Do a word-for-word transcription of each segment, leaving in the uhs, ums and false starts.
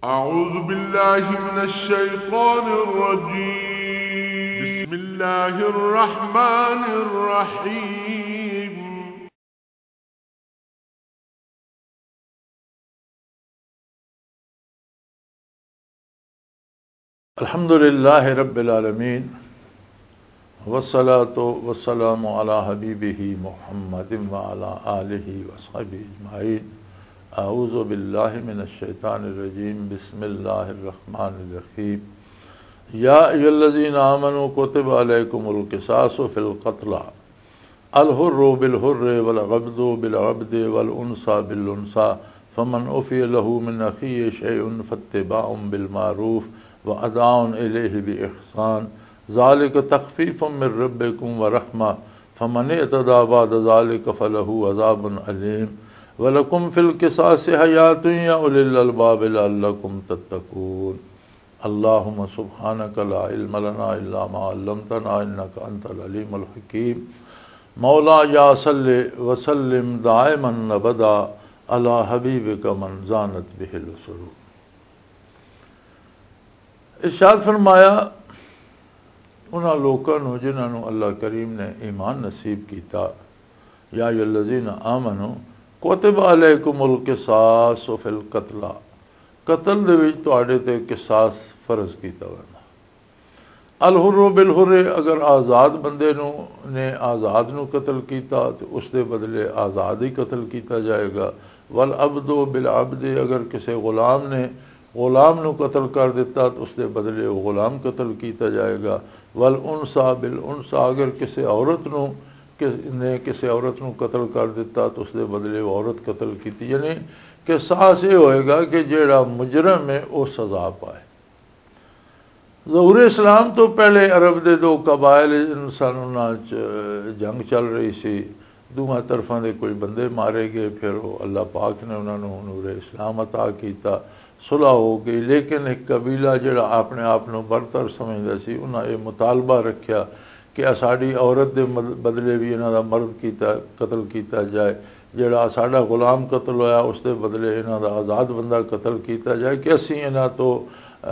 أعوذ بالله من الشيطان الرجيم. بسم الله الرحمن الرحيم. الحمد لله رب العالمين، والصلاة والسلام على حبيبه محمد وعلى آله وصحبه أجمعين. أعوذ بالله من الشيطان الرجيم. بسم الله الرحمن الرحيم. يا أيها الذين آمنوا كتب عليكم القصاص في القتلى، الحر بالحر والعبد بالعبد والأنثى بالأنثى، فمن عفي له من أخيه شيء فاتباع بالمعروف وأداء إليه بإحسان، ذلك تخفيف من ربكم ورحمة، فمن اعتدى بعد ذلك فله عذاب أليم، ولكم في القصاص حياة يا أولي الألباب لعلكم تتقون. اللهم سبحانك لا علم لنا إلا ما علمتنا إنك أنت العليم الحكيم. مولاي صل وسلم دائما أبدا على حبيبك من زانت به العصور. ارشاد فرمایا، انہاں لوکاں نوں جنہاں نوں اللہ کریم نے ایمان نصیب کیتا، یا ایھا الذین آمنو کتب علیکم القصاص فی القتلی، قتل دے وچ تہاڈے تے قصاص فرض کیتا ویندا۔ الحر بالحر، اگر آزاد بندے نوں، نے آزاد نوں قتل کیتا تے اس دے بدلے آزاد ہی قتل کیتا جائے گا۔ والعبد بالعبد، اگر کسے غلام نے غلام نوں قتل کر دتا تے اس دے بدلے وہ غلام قتل کیتا جائے گا۔ والانثی بالانثی، اگر کسے عورت نوں، کس نے کسے عورت نوں قتل کر دتا تے اس دے بدلے وہ عورت قتل کیتی۔ یعنی قصاص یہ ہوئے گا کہ جیڑا مجرم ہے وہ سزا پائے۔ ظہور اسلام تو پہلے عرب دے دو قبائل انسان، انہاں چ جنگ چل رہی سی، دوواں طرفاں دے کوئی بندے مارے گئے، پھر وہ اللہ پاک نے انہاں نوں نور اسلام عطا کیتا، صلح ہو گئی۔ لیکن ایک قبیلہ جڑا اپنے آپ نوں برتر سمجھدا سی، انہاں یہ مطالبہ رکھیا کہ ساڈی عورت دے مد-، بدلے بھی انہاں دا مرد کیتا، قتل کیتا جائے، جڑا ساڈا غلام قتل ہویا، اس دے بدلے انہاں دا آزاد بندہ قتل کیتا جائے کہ اسی انہاں تو، آ،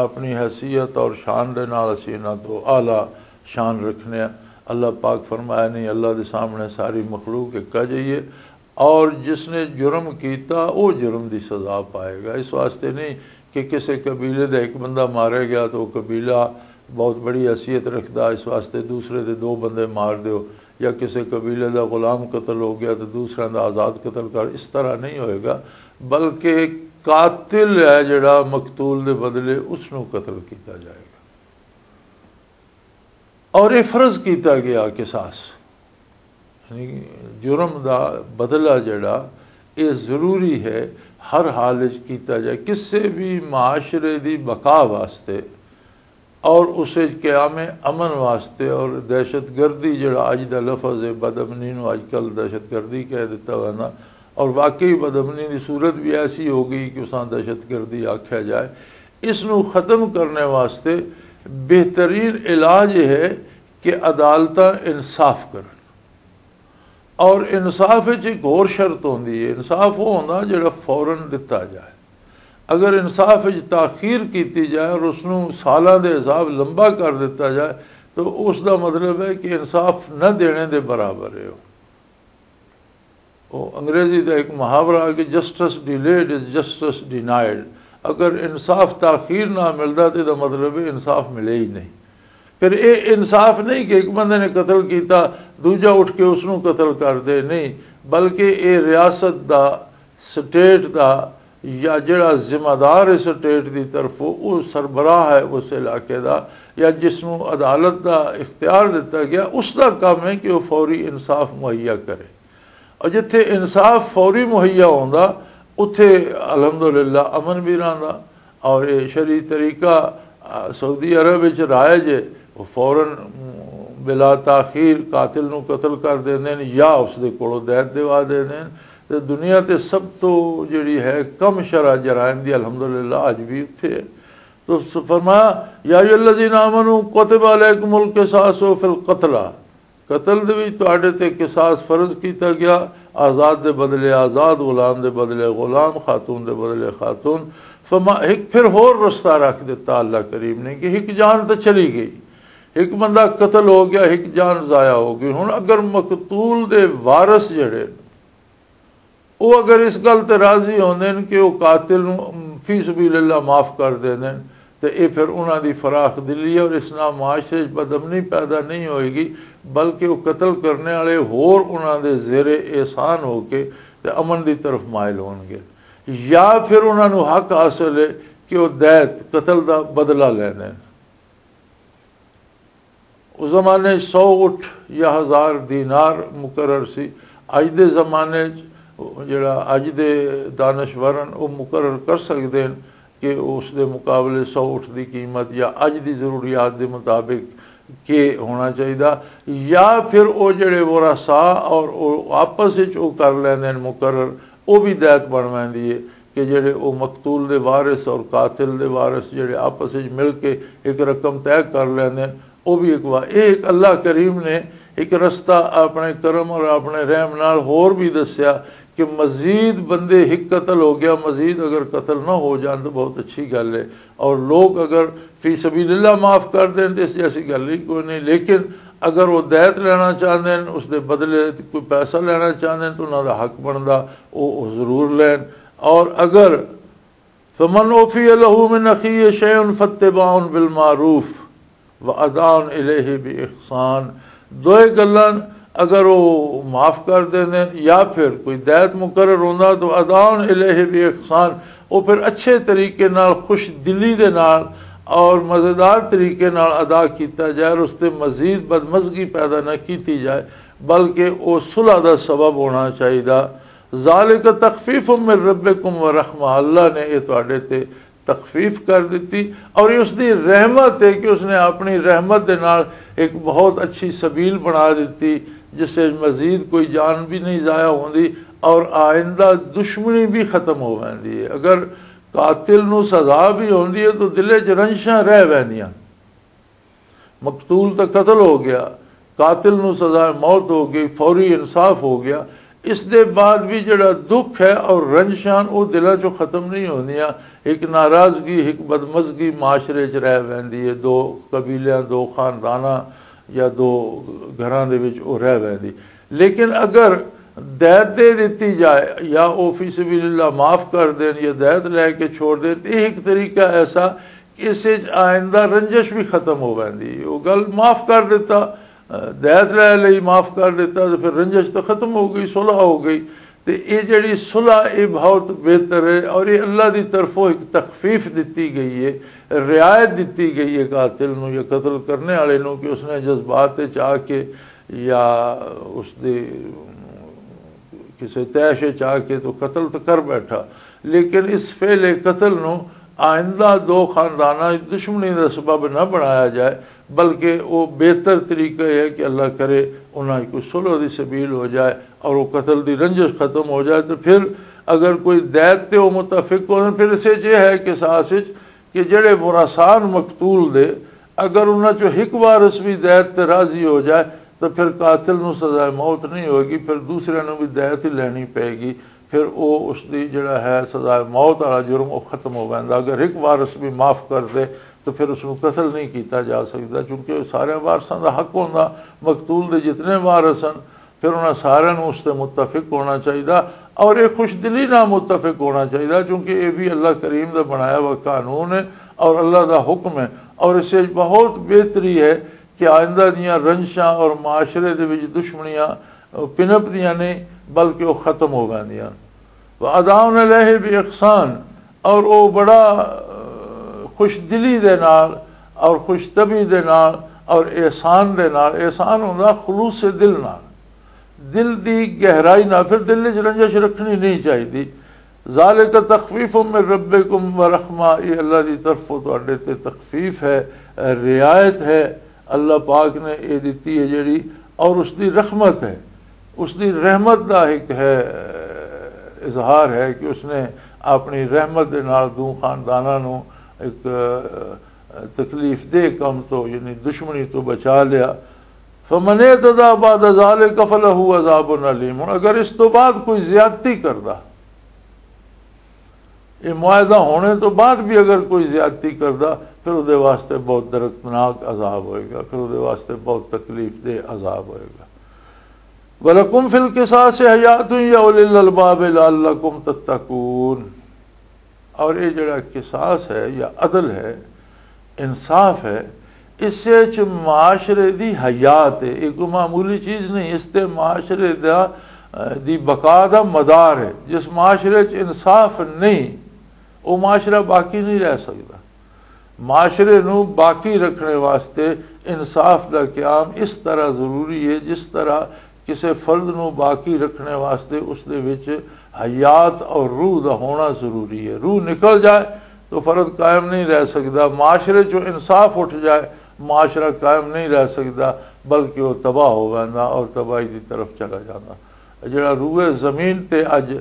اپنی حیثیت اور شان دے نال اسی انہاں تو اعلیٰ شان رکھنے ہیں۔ اللہ پاک فرمایا، نہیں، اللہ دے سامنے ساری مخلوق ایک جائی ہے، اور جس نے جرم کیتا، وہ جرم دی سزا پائے گا۔ اس واسطے نہیں کہ کسے قبیلے دا ایک بندہ مارے گیا تو وہ قبیلہ بہت بڑی حیثیت رکھدا، اس واسطے دوسرے دے دو بندے مار دیو، یا کسے قبیلے دا غلام قتل ہو گیا تو دوسرے دا آزاد قتل کر، اس طرح نہیں ہوئے گا، بلکہ قاتل ہے جڑا مقتول دے بدلے اس نوں قتل کیتا جائے گا۔ اور یہ فرض کیتا گیا قصاص، یعنی جرم دا بدلہ جڑا، یہ ضروری ہے ہر حال وچ کیتا جائے، کسے بھی معاشرے دی بقا واسطے اور اس وچ قیام امن واسطے۔ اور دہشت گردی جڑا اج دا لفظ ہے، بدامنی نو اج کل دہشت گردی کہہ دیتا ہوا نا، اور واقعی بدامنی دی صورت بھی ایسی ہو گئی کہ اساں دہشت گردی آکھیا جائے۔ اس نو ختم کرنے واسطے بہترین علاج یہ ہے کہ عدالتاں انصاف کرن۔ اور انصاف وچ ایک ہور شرط ہوندی ہے، انصاف وہ ہوندا جڑا فوراً دتا جائے۔ اگر انصاف وچ تاخیر کیتی جائے اور اس نوں سالاں دے حساب لمبا کر دتا جائے، تو اس دا مطلب ہے کہ انصاف نہ دینے دے برابر ہے۔ وہ انگریزی دا ایک محاورہ ہے کہ جسٹس ڈیلیڈ از جسٹس ڈینائیڈ۔ اگر انصاف تاخیر نہ ملدا تو دا مطلب ہے انصاف ملے ہی نہیں۔ پھر یہ انصاف نہیں کہ ایک بندے نے قتل کیتا، دوجا اٹھ کے اس نوں قتل کر دے، نہیں، بلکہ یہ ریاست دا، سٹیٹ دا، یا جڑا ذمہ دار ہے سٹیٹ دی طرفوں، وہ سربراہ ہے اس علاقے دا، یا جس نوں عدالت دا اختیار دتا گیا، اس دا کام ہے کہ وہ فوری انصاف مہیا کرے۔ اور جتھے انصاف فوری مہیا ہوندا، اتھے الحمدللہ امن بھی رہندا۔ اور یہ شرعی طریقہ، آ، سعودی عرب وچ رائج ہے۔ وہ فوراً، م، بلا تاخیر قاتل نو قتل کر دیندے نے یا اس دے کولوں دیت دیوا دیندے نے۔ تے دنیا تے سب تو جڑی ہے کم شرح جرائم دی الحمدللہ اج بھی اتھے ہے۔ تو س-، فرمایا، یا ایھا الذین آمنوا کتب علیکم القصاص فی القتلی، قتل دے وچ تہاڈے تے قصاص فرض کیتا گیا، آزاد دے بدلے آزاد، غلام دے بدلے غلام، خاتون دے بدلے خاتون۔ فما ایک پھر ہور رستہ رکھ دیتا اللہ کریم نے کہ ایک جان تو چلی گئی، ایک بندہ قتل ہو گیا، ایک جان ضائع ہو گئی۔ ہن اگر مقتول دے وارث جڑے، وہ اگر اس گل تے راضی ہوندے نے کہ وہ قاتل نوں فی سبیل اللہ معاف کر دیندے نے، تے اے پھر انہاں دی فراخ دلی ہے اور اس نال معاشرے 'چ بدامنی پیدا نہیں ہوئے گی، بلکہ وہ قتل کرنے والے ہور انہاں دے زیر احسان ہو کے تے امن دی طرف مائل ہون گے، یا پھر انہاں نوں حق حاصل ہے کہ وہ دیت قتل دا بدلہ لیندے نے۔ اس زمانے 'چ سو اٹھ یا ہزار دینار مقرر سی۔ اج دے زمانے 'چ جڑا اج دے دانشور ہن، وہ مقرر کر سکدے ہن کہ اس دے مقابلے سو اٹھ دی قیمت یا اج دی ضروریات دے مطابق کے ہونا چاہیے، یا پھر وہ جڑے ورثا اور وہ آپس وچ وہ کر لیندے ہن مقرر، وہ بھی دیت بن ویندی ہے کہ جڑے وہ مقتول دے وارث اور قاتل دے وارث جڑے آپس وچ مل کے ایک رقم طے کر لیندے ہن، وہ بھی ایک وا-، یہ ایک اللہ کریم نے ایک رستہ اپنے کرم اور اپنے رحم نال ہور بھی دسیا کہ مزید بندے ایک قتل ہو گیا، مزید اگر قتل نہ ہو جان تو بہت اچھی گل ہے۔ اور لوگ اگر فی سبیل اللہ معاف کر دیں تو اس جیسی گل ہی کوئی نہیں، لیکن اگر وہ دیت لینا چاہتے ہیں، اس دے بدلے کوئی پیسہ لینا چاہتے ہیں تو انہاں دا حق بندا، وہ ضرور لین۔ اور اگر فمن اوفی لہ من اخیہ شیء فاتباع بالمعروف واداء الیہ باحسان، دوئے گلاں اگر وہ معاف کر دیندے یا پھر کوئی دیت مقرر ہوندا تو اداء الیہ باحسان، وہ پھر اچھے طریقے نال، خوش دلی دے نال اور مزیدار طریقے نال ادا کیتا جائے اور اس تے مزید بدمزگی پیدا نہ کیتی جائے، بلکہ وہ صلح دا سبب ہونا چاہیے۔ ذالک تخفیف من ربکم ورحمہ، اللہ نے یہ تواڈے تے تخفیف کر دتی اور یہ اس دی رحمت ہے کہ اس نے اپنی رحمت دے نال ایک بہت اچھی سبیل بنا دتی، جس سے مزید کوئی جان بھی نہیں ضائع ہوندی اور آئندہ دشمنی بھی ختم ہو ویندی ہے۔ اگر قاتل نو سزا بھی ہوندی ہے تو دلے چ رنجشاں رہ ویندیاں۔ مقتول تے قتل ہو گیا، قاتل نو سزا موت ہو گئی، فوری انصاف ہو گیا۔ اس دے بعد بھی جڑا دکھ ہے اور رنجشاں، او دلاں چوں ختم نہیں ہوندیاں۔ ایک ناراضگی، ایک بدمزگی معاشرے چ رہ ویندی ہے، دو قبیلیاں، دو خانداناں یا دو گھراں دے وچ او رہ ویندی۔ لیکن اگر دیت دے دتی جائے یا او فی سبیل اللہ معاف کر دین یا دیت لے کے چھوڑ دین، تے ایک طریقہ ایسا اس وچ آئندہ رنجش بھی ختم ہو ویندی۔ وہ گل معاف کر دیتا، دیت لے لئی، معاف کر دیتا، تو پھر رنجش تو ختم ہو گئی، صلح ہو گئی۔ تے یہ جڑی صلح، یہ بہت بہتر ہے اور یہ اللہ دی طرفوں ایک تخفیف دتی گئی ہے، رعایت دتی گئی ہے قاتل نو یا قتل کرنے والے نو کہ اس نے جذبات وچ آ کے یا اس دے کسے طے شے چاہ کے تو قتل تو کر بیٹھا، لیکن اس فعل قتل نو آئندہ دو خانداناں دی دشمنی دا سبب نہ بنایا جائے، بلکہ وہ بہتر طریقہ یہ ہے کہ اللہ کرے انہاں کوئی صلح دی سبیل ہو جائے اور وہ قتل دی رنجش ختم ہو جائے۔ تو پھر اگر کوئی دیت تے وہ متفق ہو، پھر اسے یہ ہے کہ ساس وچ کہ جڑے ورثاء مقتول دے، اگر انہاں چوں ایک وارث بھی دیت تے راضی ہو جائے تو پھر قاتل نوں سزا موت نہیں ہوئے گی، پھر دوسرے نوں بھی دیت ہی لینی پئے گی۔ پھر او اس دی جڑا ہے سزا موت والا جرم، او ختم ہو ویندا۔ اگر ایک وارث بھی معاف کر دے تو پھر اس نوں قتل نہیں کیتا جا سکدا، چونکہ سارے وارثاں دا حق ہوندا، مقتول دے جتنے وارث ہیں، پھر انہاں سارے نوں اس تے متفق ہونا چاہیے اور یہ خوش دلی نہ متفق ہونا چاہیے، کیونکہ یہ بھی اللہ کریم دا بنایا ہوا قانون ہے اور اللہ دا حکم ہے۔ اور اس وچ بہت بہتری ہے کہ آئندہ دیاں رنجشاں اور معاشرے دے وچ دشمنیاں پنپ دیاں نہیں، بلکہ وہ ختم ہو ویندیاں۔ وَأَدَاءٌ إِلَيْهِ بِإِحْسَانٍ، اور وہ بڑا، آ، خوش دلی دے نال اور خوش طبعی دے نال اور احسان دے نال، احسان ہوندا خلوص دل نال، دل دی گہرائی نال، پھر دل وچ رنجش رکھنی نہیں چاہیے۔ ذَلِكَ تَخْفِيفٌ مِّن رَّبِّكُمْ وَرَحْمَةٌ، یہ اللہ دی طرفوں تہاڈے تے تخفیف ہے، رعایت ہے، اللہ پاک نے یہ دتی ہے جڑی، اور اس دی رحمت ہے، اس دی رحمت دا ایک ہے، اظہار ہے کہ اس نے اپنی رحمت دے نال دو خانداناں نوں ایک تکلیف دہ کم تو، یعنی دشمنی تو بچا لیا۔ فمن اعتدى بعد ذلك فله عذاب أليم۔ ہن اگر اس تو بعد کوئی زیادتی کردا، یہ معاہدہ ہونے تو بعد بھی اگر کوئی زیادتی کردا، پھر وہ واسطے بہت دردناک عذاب ہوئے گا، پھر وہ واسطے بہت تکلیف دہ عذاب ہوئے گا۔ وَلَكُمْ فِي الْقِصَاصِ حَيَاةٌ يَا أُولِي الْأَلْبَابِ لَعَلَّكُمْ تَتَّقُونَ۔ اور یہ جڑا قصاص ہے یا عدل ہے، انصاف ہے، اس وچ معاشرے دی حیات ہے۔ یہ کوئی معمولی چیز نہیں، اس تے معاشرے دا، دی بقا دا مدار ہے۔ جس معاشرے چ انصاف نہیں، وہ معاشرہ باقی نہیں رہ سکدا۔ معاشرے نو باقی رکھنے واسطے انصاف دا قیام اس طرح ضروری ہے، جس طرح کسے فرد نو باقی رکھنے واسطے اس دے وچ حیات اور روح دا ہونا ضروری ہے۔ روح نکل جائے تو فرد قائم نہیں رہ سکدا۔ معاشرے چوں انصاف اٹھ جائے، معاشرہ قائم نہیں رہ سکدا، بلکہ وہ تباہ ہو ویندا اور تباہی دی طرف چلا جاندا۔ جڑا روئے زمین تے اج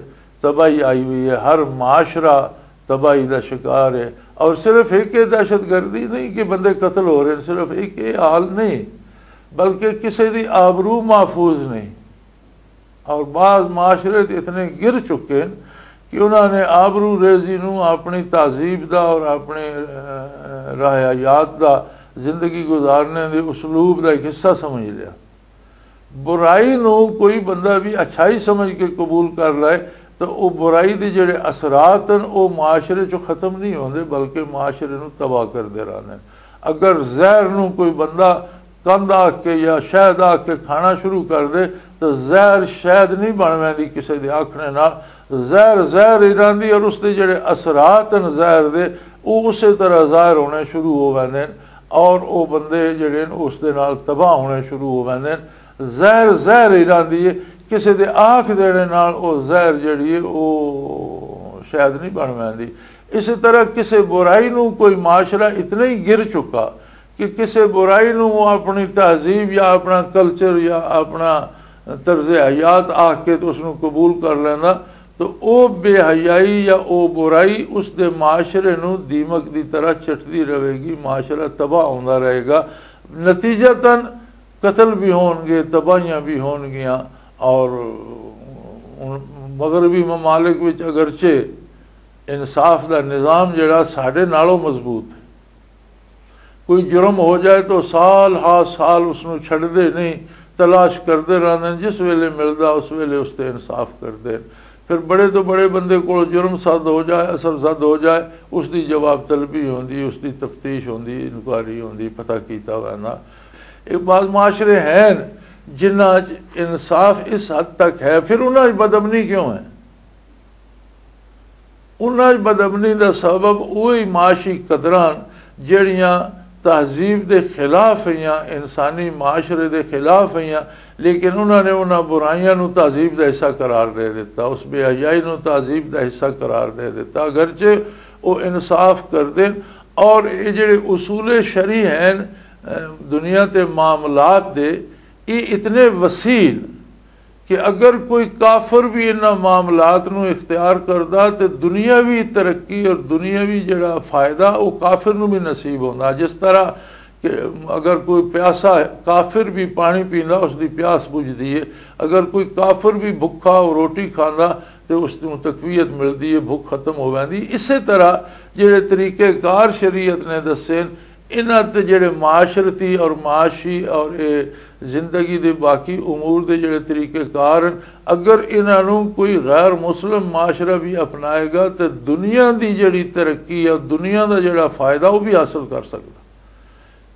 تباہی آئی ہوئی ہے، ہر معاشرہ تباہی دا شکار ہے۔ اور صرف ایک یہ دہشت گردی نہیں کہ بندے قتل ہو رہے ہیں، صرف ایک یہ حال نہیں، بلکہ کسی دی آبرو محفوظ نہیں۔ اور بعض معاشرے تے اتنے گر چکے ہیں کہ انہوں نے آبرو ریزی نو اپنی تہذیب دا اور اپنے، اہ، راہ حیات دا، زندگی گزارنے دے اسلوب دا ایک حصہ سمجھ لیا۔ برائی نو کوئی بندہ بھی اچھائی سمجھ کے قبول کر لائے تو وہ برائی دے جڑے اثرات ہیں، وہ معاشرے چوں ختم نہیں ہوندے، بلکہ معاشرے نو تباہ کردے رہندے ہیں۔ اگر زہر نو کوئی بندہ کند آکھ کے یا شہد آکھ کے کھانا شروع کر دے تو زہر شہد نہیں بن ویندی کسے دے آکھنے نال۔ زہر زہر ہی رہندی اور اس دے جڑے اثرات ہیں زہر دے، وہ اسی طرح ظاہر ہونے شروع ہو ویندے ہیں اور وہ بندے جڑے ہیں اس دے نال تباہ ہونے شروع ہو ویندے ہیں۔ زہر زہر ہی رہندی ہے، کسے دے آنکھ دینے نال او زہر جڑی ہے او شاید نہیں بن ویندی۔ اسی طرح کسے برائی نو کوئی معاشرہ اتنا ہی گر چکا کہ کسے برائی نو وہ اپنی تہذیب یا اپنا کلچر یا اپنا طرز حیات آکھ کے تو اس نو قبول کر لینا، تو او بے حیائی یا او برائی اس دے معاشرے نو دیمک دی طرح چٹدی رہے گی، معاشرہ تباہ ہوندا رہے گا۔ نتیجتاً قتل بھی ہون گے، تباہیاں بھی ہون گیاں۔ اور مغربی ممالک وچ اگرچہ انصاف دا نظام جڑا ساڈے نالوں مضبوط ہے، کوئی جرم ہو جائے تو سال ہا سال اس نو چھڈدے نہیں، تلاش کردے رہندے ہیں، جس ویلے ملدا اس ویلے اس تے انصاف کردے ہیں۔ پھر بڑے تو بڑے بندے کول جرم زد ہو جائے، اثر زد ہو جائے، اس دی جواب طلبی ہوندی، اس دی تفتیش ہوندی، انکوائری ہوندی، پتہ کیتا ویندا۔ ایک بعض معاشرے ہیں جنہاں چ انصاف اس حد تک ہے، پھر انہاں چ بدامنی کیوں ہے؟ انہاں چ بدامنی دا سبب وہی معاشی قدراں جڑیاں تہذیب دے خلاف ہیاں، انسانی معاشرے دے خلاف ہیاں، لیکن انہاں نے انہاں برائیاں نو تہذیب دا حصہ قرار دے دیتا، اس بے حیائی نو تہذیب دا حصہ قرار دے دیتا۔ اگرچہ وہ انصاف کردے اور یہ جڑے اصول شرعی ہیں، اہ، دنیا تے معاملات دے، یہ اتنے وسیع کہ اگر کوئی کافر بھی انہاں معاملات نو اختیار کردا تے دنیاوی ترقی اور دنیاوی جڑا فائدہ وہ کافر نو بھی نصیب ہوندا۔ جس طرح کہ اگر کوئی پیاسا کافر بھی پانی پیندا، اس دی پیاس بجھدی ہے۔ اگر کوئی کافر بھی بھکھا روٹی کھاندا تے اس نوں تقویت ملدی ہے، بھوک ختم ہو ویندی۔ اسے طرح جڑے طریقے کار شریعت نے دسے، انہاں تے جڑے معاشرتی اور معاشی اور اے زندگی دے باقی امور دے جڑے طریقے کار ہیں، اگر انہاں نوں کوئی غیر مسلم معاشرہ بھی اپنائے گا تے دنیا دی جڑی ترقی ہے، دنیا دا جڑا فائدہ، وہ بھی حاصل کر سکدا۔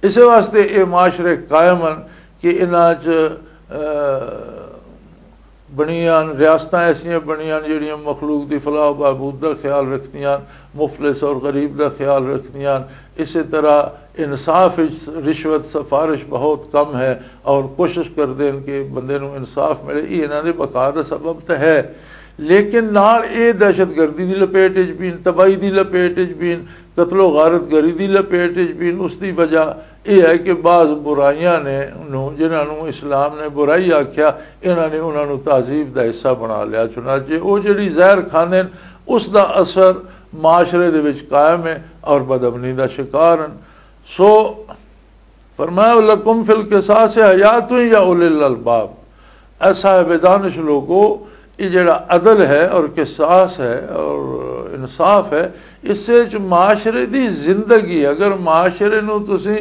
اسے واسطے اے معاشرے قائم ہیں کہ انہاں چ، اہ، بنیاں، ریاستاں ایسیاں بنیاں جڑیاں مخلوق دی فلاح و بہبود دا خیال رکھدیاں، مفلس اور غریب دا خیال رکھدیاں۔ اسے طرح انصاف وچ رشوت سفارش بہت کم ہے اور کوشش کردے ہیں کہ بندے نوں انصاف ملے۔ یہ انہاں دے بقا دا سبب تے ہے، لیکن نال اے دہشت گردی دی لپیٹ وچ بھی، تباہی دی لپیٹ وچ بھی، قتل و غارت گری دی لپیٹ وچ بھی۔ اس دی وجہ یہ ہے کہ بعض برائیاں نے، نوں، جنہاں نوں اسلام نے برائی آکھیا، انہاں نے انہاں نوں تہذیب دا حصہ بنا لیا۔ چنانچہ وہ جڑی زہر کھاندے نے، اس دا اثر معاشرے دے وچ قائم ہے اور بدامنی دا شکار ہیں۔ سو فرمایا، "لکم فی القصاص حیات یا اولی الالباب۔" اے صاحب دانش لوگو، یہ جڑا عدل ہے اور قصاص ہے اور انصاف ہے، اس سے چ معاشرے دی زندگی، اگر معاشرے نو تسی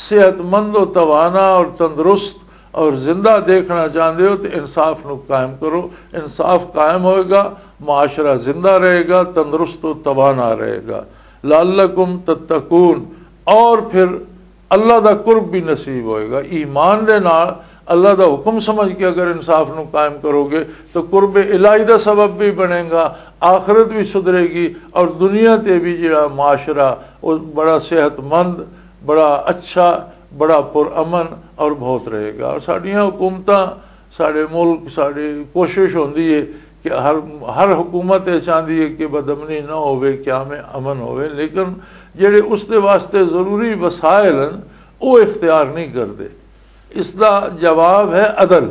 صحت مند و توانا اور تندرست اور زندہ دیکھنا چاہندے ہو تو انصاف نو قائم کرو۔ انصاف قائم ہوئے گا، معاشرہ زندہ رہے گا، تندرست و توانا رہے گا۔ لعلکم تتقون، اور پھر اللہ دا قرب بھی نصیب ہوئے گا۔ ایمان دے نال اللہ دا حکم سمجھ کے اگر انصاف نو قائم کرو گے تو قرب الہی دا سبب بھی بنے گا، آخرت بھی سدھرے گی اور دنیا تے بھی جڑا معاشرہ وہ بڑا صحت مند، بڑا اچھا، بڑا پرامن اور بہت رہے گا۔ اور ساڈیاں حکومتاں، ساڈے ملک، ساڈی کوشش ہوندی ہے کہ ہر ہر حکومت یہ چاہندی ہے کہ بدامنی نہ ہوئے، قیام امن ہوئے، لیکن جڑے اس دے واسطے ضروری وسائل ہیں، وہ اختیار نہیں کرتے۔ اس دا جواب ہے عدل۔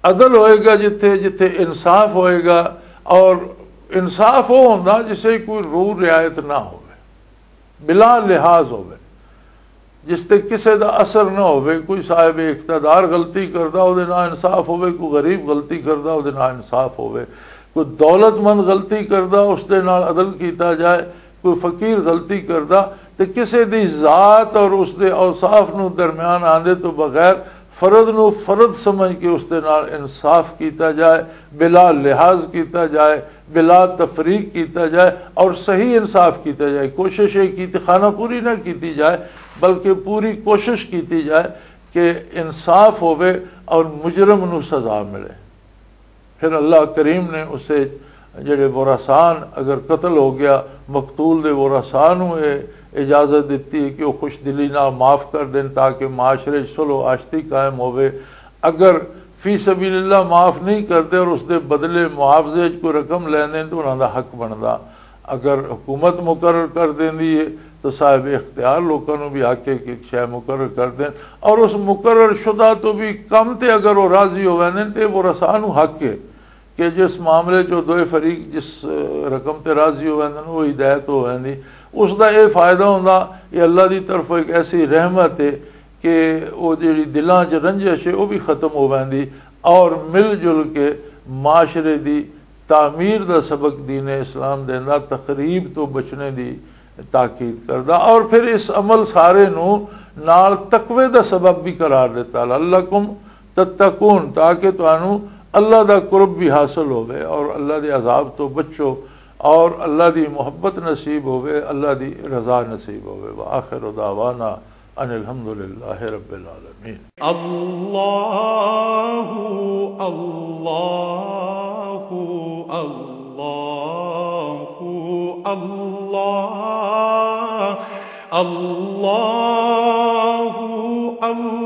عدل ہوئے گا جتھے جتھے انصاف ہوئے گا، اور انصاف وہ ہوندا جسے کوئی رو رعایت نہ ہوئے، بلا لحاظ ہوئے، جس تے کسے دا اثر نہ ہوئے۔ کوئی صاحب اقتدار غلطی کردا، او دے نال انصاف ہوئے، کوئی غریب غلطی کردا، او دے نال انصاف ہوئے۔ کوئی دولت مند غلطی کردا، اس دے نال عدل کیتا جائے۔ کوئی فقیر غلطی کردا تے کسے دی ذات اور اس دے اوصاف نو درمیان آندے تو بغیر فرد نو فرد سمجھ کے اس دے نال انصاف کیتا جائے، بلا لحاظ کیتا جائے، بلا تفریق کیتا جائے، اور صحیح انصاف کیتا جائے۔ کوشش یہ کیتی، خانہ پوری نہ کیتی جائے، بلکہ پوری کوشش کیتی جائے کہ انصاف ہوئے اور مجرم نو سزا ملے۔ پھر اللہ کریم نے اسے، جڑے ورثان، اگر قتل ہو گیا، مقتول دے ورثان نو یہ اجازت دیتی ہے کہ وہ خوش دلی نال معاف کر دین تاکہ معاشرے چ صلح و آشتی قائم ہوئے۔ اگر فی سبیل اللہ معاف نہیں کرتے اور اس دے بدلے معاوضے چ کوئی رقم لیندے تو انہاں دا حق بندا۔ اگر حکومت مقرر کر دیندی ہے تو صاحب اختیار لوکاں نوں بھی حق ہے کہ شے مقرر کر دین، اور اس مقرر شدہ تو بھی کم تے اگر وہ راضی ہو ویندے تے وہ رسا نوں حق ہے کہ جس معاملے چ دوئے فریق جس، اہ، رقم تے راضی ہو ویندے، وہ ہدایت ہو ویندی۔ اس دا یہ فائدہ ہوندا، یہ اللہ دی طرف ایک ایسی رحمت ہے کہ وہ جڑی دلاں چ رنجش ہے وہ بھی ختم ہو ویندی، اور مل جل کے معاشرے دی تعمیر دا سبق دین اسلام دیندا، تخریب تو بچنے دی تاکید کردا، اور پھر اس عمل سارے نو نال تقوی دا سبب بھی قرار دیتا، لعلکم تتقون، تاکہ تانوں اللہ دا قرب بھی حاصل ہوے اور اللہ دے عذاب تو بچو اور اللہ دی محبت نصیب ہوے، اللہ دی رضا نصیب ہوے۔ وآخر دعوانا ان الحمد للہ رب العالمین۔ اللہ، اللہ، اللہ، اللہ، اللہ، اللہ۔